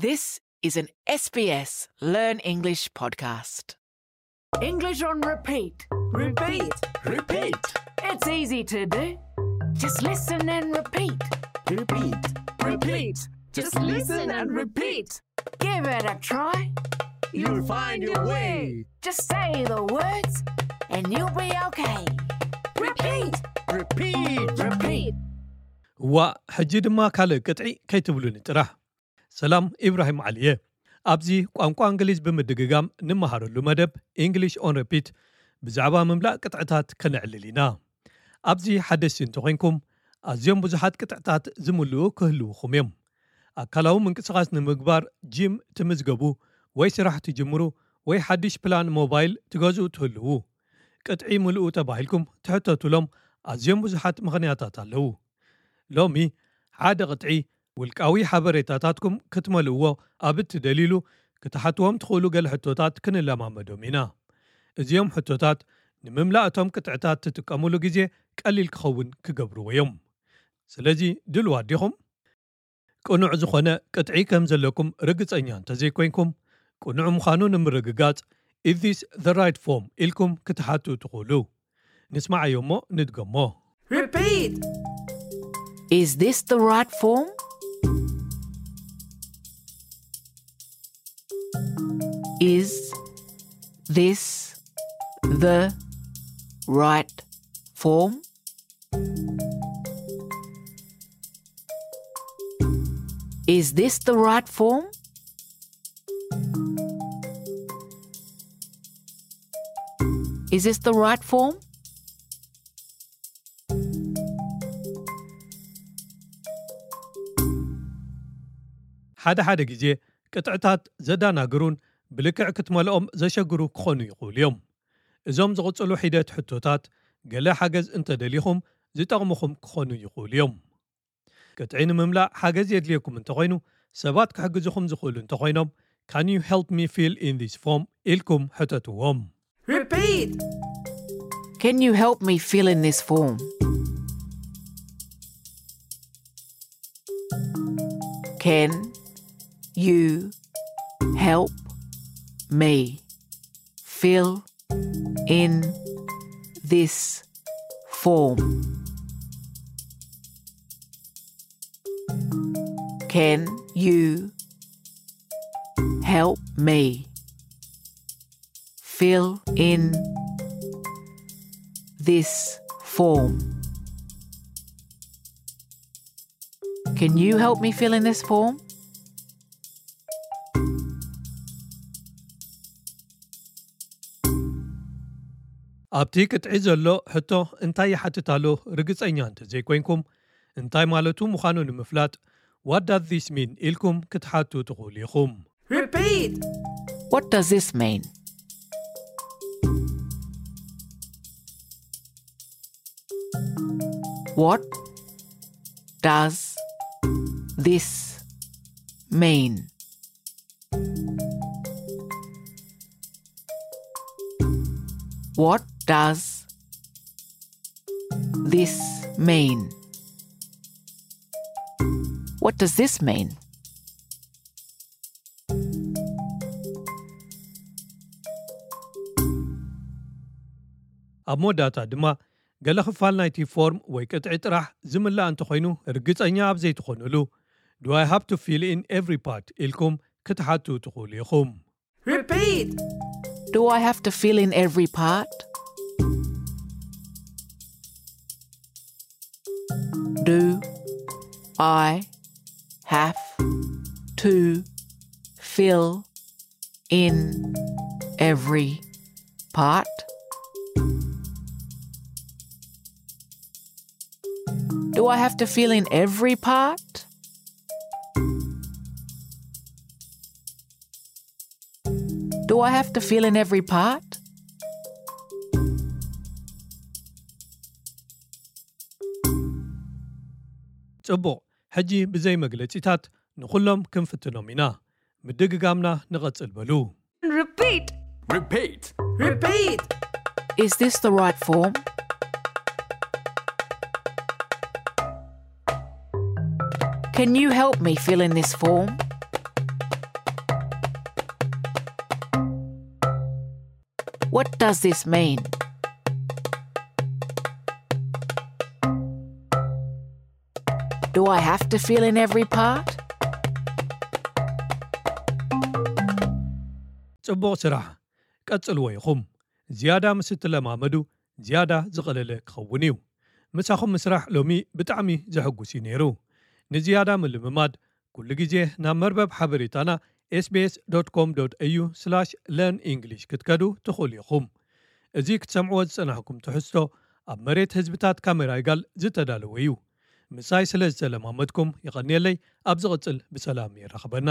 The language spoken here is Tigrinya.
This is an S B S Learn English podcast. English on repeat. Repeat. Repeat. It's easy to do. Just listen and repeat. Repeat. Repeat. Just listen and repeat. Give it a try. You'll find your way. Just say the words and you'll be okay. Repeat. Repeat. Repeat. እዋ፣ ሕጂ ድማ ካልእ ቅጥዒ ከይትብሉኒ ጥራሕ። ሰላም፣ ኢብራሂም ዓሊ እየ። ኣብዚ ቋንቋ እንግሊዝ ብምድግጋም ንመሃረሉ መደብ English on Repeat ብዛዕባ ምምላእ ቅጥዕታት ከነዕልል ኢና። ኣብዚ ሓደስቲ እንተኾይንኩም፣ ኣዝዮም ብዙሓት ቅጥዕታት ዝምልኡ ክህልውኹም እዮም። ኣካላዊ ምንቅስቓስ ንምግባር ጂም ትምዝገቡ ወይ ስራሕ ትጅምሩ ወይ ሓድሽ ፕላን ሞባይል ትገዝኡ ትህልዉ። ቅጥዒ ምልኡ ተባሂልኩም ትሕተቱሎም ኣዝዮም ብዙሓት ምኽንያታት ኣለዉ። ሎሚ ሓደ ቅጥዒ ውልቃዊ ሓበሬታታትኩም ክትመልእዎ ኣብ እትደልይሉ ክትሓትዎም ትኽእሉ ገለ ሕቶታት ክንለማመዶም ኢና። እዚኦም ሕቶታት ንምምላእ እቶም ቅጥዕታት ትጥቀሙሉ ግዜ ቀሊል ክኸውን ክገብርዎ እዮም። ስለዚ ድልዋት ዲኹም? ቅኑዕ ዝኾነ ቅጥዒ ከም ዘለኩም ርግጸኛ እንተዘይኮይንኩም፣ ቅኑዕ ምዃኑ ንምርግጋጽ Is this the right form? ኢልኩም ክትሓቱ ትኽእሉ። ንስማዓዮ እሞ ንድገሞ። Repeat. Is this the right form? Is this the right form? Is this the right form? Is this the right form? ሓደ ሓደ ግዜ ቅጥዕታት ዘዳናግሩን ብልክዕ ክትመልኦም ዘሸግሩ ክኾኑ ይኽእሉ እዮም። እዞም ዝቕጽሉ ሒደት ሕቶታት ገለ ሓገዝ እንተደሊኹም ዝጠቕሙኹም ክኾኑ ይኽእሉ እዮም። ቅጥዒ ንምምላእ ሓገዝ የድልየኩም እንተኾይኑ፣ ሰባት ክሕግዙኹም ዝኽእሉ እንተኾይኖም፣ Can you help me fill in this form? ኢልኩም ሕተትዎም። Repeat. Can you help me fill in this form? Can you help me fill in this form? Can you help me fill in this form? Can you help me fill in this form? ኣብቲ ቅጥዒ ዘሎ ሕቶ እንታይ ይሓትት ኣሎ ርግጸኛ እንተዘይኮይንኩም፣ እንታይ ማለቱ ምዃኑ ንምፍላጥ What does this mean? ኢልኩም ክትሓቱ ትኽእሉ ኢኹም። Repeat. What does this mean? What does this mean? What does this mean? What does this mean? ኣብ መወዳእታ ድማ ገለ ክፋል ናይቲ ፎርም ወይ ቅጥዒ ጥራሕ ዝምላእ እንተኾይኑ ርግጸኛ ኣብ ዘይትኾኑሉ Do I have to fill in every part? ኢልኩም ክትሓቱ ትኽእሉ ኢኹም። Repeat. Do I have to fill in every part? Do I have to fill in every part? Do I have to fill in every part? Do I have to fill in every part? ጽቡቕ፣ ሕጂ ብዘይ መግለጺታት ንኹሎም ክንፍትኖም ኢና። ምድግጋምና ንቐጽል በሉ። Repeat. Repeat. Repeat. Is this the right form? Can you help me fill in this form? What does this mean? Do I have to fill in every part? ጽቡቕ ስራሕ። ቀጽልዎ ኢኹም። ዝያዳ ምስ እትለማመዱ ዝያዳ ዝቐለለ ክኸውን እዩ። ምሳኹም ምስራሕ ሎሚ ብጣዕሚ ዘሐጉስ እዩ ነይሩ። ንዝያዳ ምልምማድ ኩሉ ግዜ ናብ መርበብ ሓበሬታና ኤስቢኤስ ዶት ኮም ዶት ኤዩ ስላሽ ለርን ኢንግሊሽ ክትከዱ ትኽእሉ ኢኹም። እዚ ክትሰምዕዎ ዝጸናሕኩም ትሕዝቶ ኣብ መሬት ህዝብታት ካሜራይጋል ዝተዳለወ እዩ። ምሳይ ስለ ዝተለማመድኩም የቐንየለይ። ኣብ ዝቕጽል ብሰላም የራኽበና።